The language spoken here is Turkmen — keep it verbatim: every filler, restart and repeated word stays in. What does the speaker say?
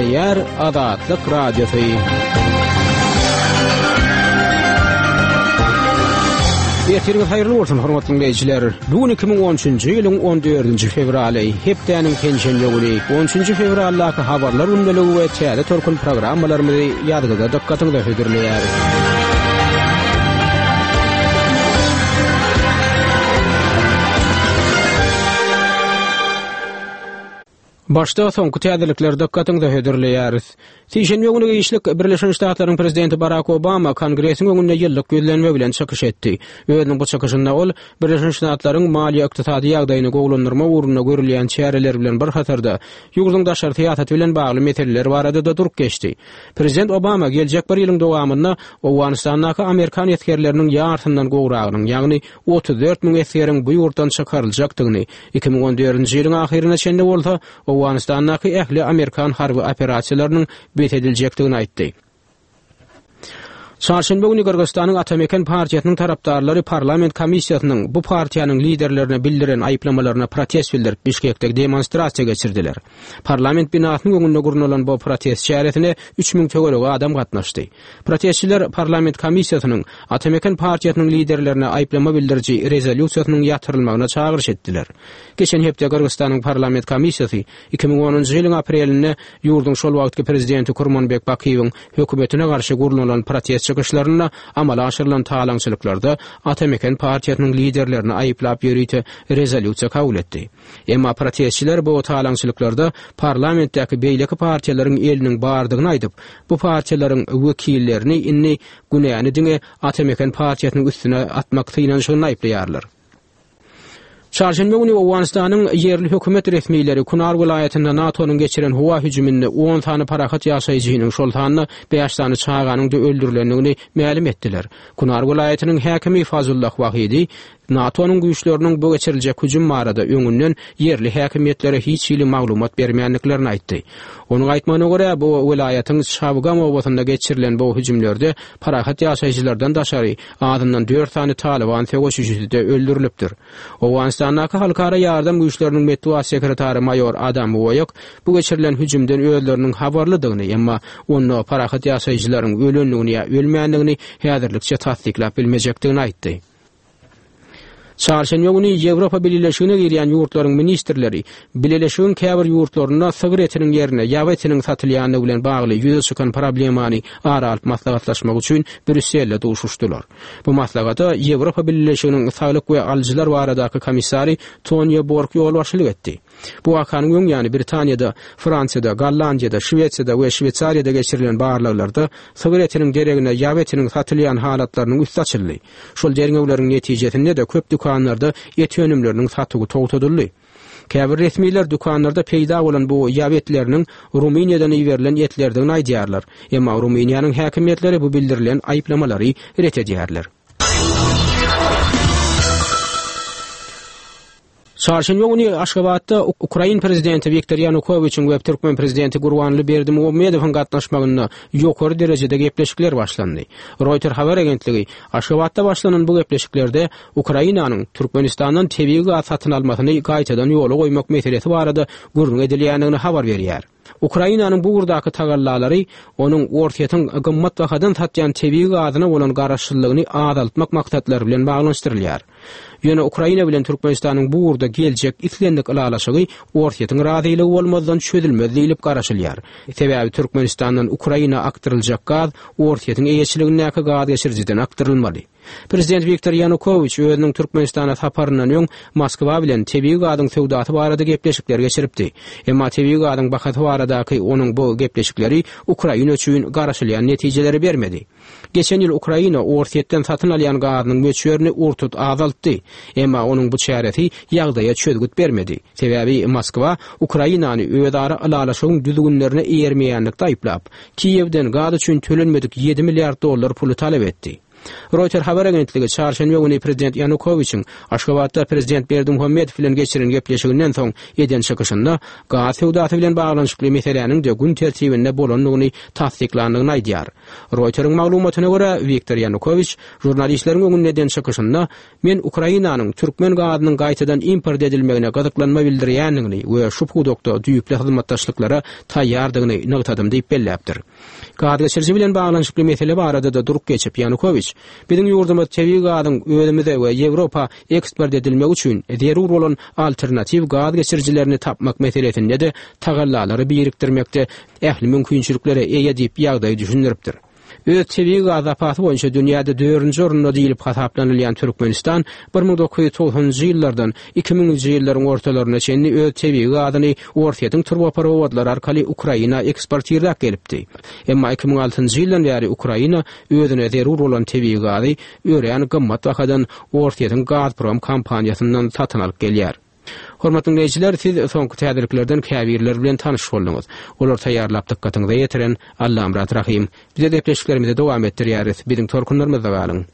Gepleýär Azatlyk Radiosy. Ertiriňiz haýyrly bolsun, hormatly diňleýjiler. Bu gün iki müň on üçünji ýylyň on dördünji fewraly, hepdäniň penşenbe güni. On üçünji fewraldaky habarlar gündeligi we täze tolkun programmalarymyzy ýazgyda dykgatyňyza hödürleýäris. Başda soňky täzelikleri dykgatyňyza hödürleýäris. Sişenbe güni giçlik Birleşen Ştatlaryň prezidenti Barak Obama Kongresiň öňünde ýyllyk ýüzlenme bilen çykyş etdi. Özüniň bu çykyşynda ol Birleşen Ştatlaryň maliýe-ykdysady ýagdaýyny gowulandyrmak ugrunda görülýän çäreler bilen bir hatarda ýurduň daşary syýasaty bilen bagly meseleler barada-da durup geçdi. Prezident Obama geljek bir ýylyň dowamynda Owganystandaky amerikan esgerleriniň ýarysyndan gowragynyň, ýagny otuz dört müň esgeriň bu ýurtdan çykaryljakdygyny, iki müň on dördünji ýylyň ahyryna çenli bolsa Owganystandaky ähli amerikan harby operasiýalarynyň bes ediljekdigini aýtdy. Çarşenbe güni Gyrgyzystanyň Atameken partiýasynyň tarapdarlary parlament komissiýasynyň bu partiýanyň liderlerine bildiren aýyplamalaryna protest bildirip, Bişkekde demonstrasiýa geçirdiler. Parlament binasynyň öňünde gurnalan bu protest çäresine üç müň töweregi adam gatnaşdy. Protestçiler parlament komissiýasynyň Atameken partiýasynyň liderlerine aýyplama bildiriji rezolýusiýasynyň ýatyrylmagyna çagyryş etdiler. Geçen hepde Gyrgyzystanyň parlament komissiýasy iki müň onunjy ýylyň aprelinde ýurduň şol wagtky prezidenti Kurmanbek Bakiýewiň hökümetine garşy gurnalan protest çykyşlarynda amala aşyrylan talaňçylyklarda Atameken partiýasynyň liderlerini aýyplap ýörite rezolýusiýa kabul etdi. Emma protestçiler bu talaňçylyklarda parlamentdäki beýleki partiýalaryň eliniň bardygyny aýdyp, bu partiýalaryň wekillerini indi günäni diňe Atameken partiýasynyň üstüne atmak synanyşygyny aýyplaýarlar. Çarşenbe güni Owganystanyň ýerli hökümet resmileri Kunar welaýatynda NATO-nyň geçiren howa hüjüminde on sany parahat ýaşaýjynyň, şol sanda bäş sany çaganyň da öldürilendigini mälim etdiler. Kunar welaýatynyň häkimi Fazullah Wahidi NATO-nyň güýçleriniň bu geçiriljek hüjüm barada öňünden ýerli häkimiýetlere hiç hili maglumat bermändiklerini aýtdy. Onuň aýtmagyna görä, bu welaýatyň Çabgam obasynda geçirilen bu hüjümlerde parahat ýaşaýjylardan daşary azyndan dört sany Taliban söweşijisi-de öldürilipdir. Owganystandaky halkara ýardam güýçleriniň metbugat sekretary maýor Adam Woýak bu geçirilen hüjümden özleriniň habarlydygyny, emma onda parahat ýaşaýjylaryň ölendigini ýa ölmändigini häzirlikçe tassyklap bilmejekdigini aýtdy. Çarşenbe güni Ýewropa Bileleşigine girýän ýurtlaryň ministrleri Bileleşigiň käbir ýurtlarynda sygyr etiniň ýerine ýaw etiniň satylýandygy bilen bagly ýüze çykan problemany ara alyp maslahatlaşmak üçin Brýusselde duşuşdylar. Bu maslahata Ýewropa Bileleşiginiň saglyk we alyjylar baradaky komissary Tonýa Borg ýolbaşçylyk etdi. Bu wakanyň öň ýany Britaniýada, Fransiýada, Gollandiýada, Şwesiýada we Şweýsariýada geçirilen barlaglarda sygyr etiniň deregine ýaw etiniň satylýan halatlarynyň üsti açyldy. Şol derňewleriň netijesinde-de köp dükanlarda et önümleriniň satuwy togtadyldy. Käbir resmiler dükanlarda peýda bolan bu ýaw etleriniň Rumyniýadan iberilen etlerdigini aýdýarlar. Emma Rumyniýanyň häkimiýetleri bu bildirilen aýyplamalary ret edýärler. Çarşenbe güni Aşgabatda Ukrain prezidenti Wiktor Ýanukowiçiň we türkmen prezidenti Gurbanguly Berdimuhamedowyň gatnaşmagynda ýokary derejede gepleşikler başlandy. Reuters habar agentligi Aşgabatda başlanan bu gepleşiklerde Ukrainanyň Türkmenistandan tebigy gaz satyn almasyny gaýtadan ýola goýmak meselesi barada gürrüň edilýändigini habar berýär. Ukrainanyň bu ugurdaky tagallalary onuň Orsýetiň gymmat bahadan satýan tebigy gazyna bolan garaşsyzlygyny azaltmak maksatlary bilen baglanyşdyrylýar. Ýöne Ukraina bilen Türkmenistanyň bu ugurda geljek islendik ylalaşygy Orsýetiň razylygy bolmazdan çözülmez diýlip garaşylýar. Sebäbi Türkmenistandan Ukraina akdyryljak gaz Orsýetiň eýeçiligindäki gaz geçirijiden akdyrylmaly. Prezident Wiktor Ýanukowiç özüniň Türkmenistana saparyndan öň Moskwa bilen tebigy gazyň söwdasy barada gepleşikler geçiripdi. Emma tebigy gazyň bahasy baradaky onuň bu gepleşikleri Ukraina üçin garaşylýan netijeleri bermedi. Geçen ýyl Ukraina Orsýetden satyn alýan gazynyň möçberini urtut azaltdy. Emma onuň bu çäresi ýagdaýa çözgüt bermedi. Sebäbi Moskwa Ukrainany özara ylalaşygyň düzgünlerine eýermeýänlikde aýyplap, Kiýewden gaz üçin tölenmedik ýedi milliard dollar puly talap etdi. Roýter habar agentligi çarşenbe güni prezident Ýanukowiçiň Aşgabatda prezident Berdimuhamedow bilen geçiren gepleşiginden soň eden çykyşynda gaz söwdasy bilen baglanyşykly meseläniň-de gün tertibinde bolandygyny tassyklandygyny aýdýar. Roýteriň maglumatyna görä, Wiktor Ýanukowiç žurnalistleriň öňünde eden çykyşynda Men Ukrainanyň türkmen gazynyň gaýtadan import edilmegine gyzyklanma bildirýändigini we şu pudakda düýpli hyzmatdaşlyklara taýýardygyny nygtadym diýip belläpdir. Gazgeçiriji bilen baglanyşykly mesele barada-da durup geçip, Ýanukowiç, Biziň ýurdumyz tebigy gazyň özümize we Ýewropa eksport edilmegi üçin zerur bolan alternatiw gaz geçirijilerini tapmak meselesinde-de tagallalary birikdirmekde ähli mümkinçiliklere eýe diýip ýagdaýy düşündiripdir. Öz tebigy gaz zapasy boýunça dünýäde dördünji orunda diýlip hasaplanylýan Türkmenistan bir müň dokuz ýüz togsanynjy ýyllardan iki müňünji ýyllaryň ortalaryna çenli öz tebigy gazyny Orsýetiň turbaprowodlary arkaly Ukraina eksportirläp gelipdi. Emma iki müň altynjy ýyldan bäri Ukraina özüne zerur bolan tebigy gazy örän gymmat bahadan Orsýetiň Gazprom kompaniýasyndan satyn alyp gelýär. Hormatly diňleýjiler, siz soňky täzeliklerden käbirleri bilen tanyş bolduňyz. Olary taýýarlap dykgatyňyza ýetiren Allamyrat Rahym. Bize gepleşiklerimizi dowam etdirýäris. Biziň tolkunlarymyzda galyň.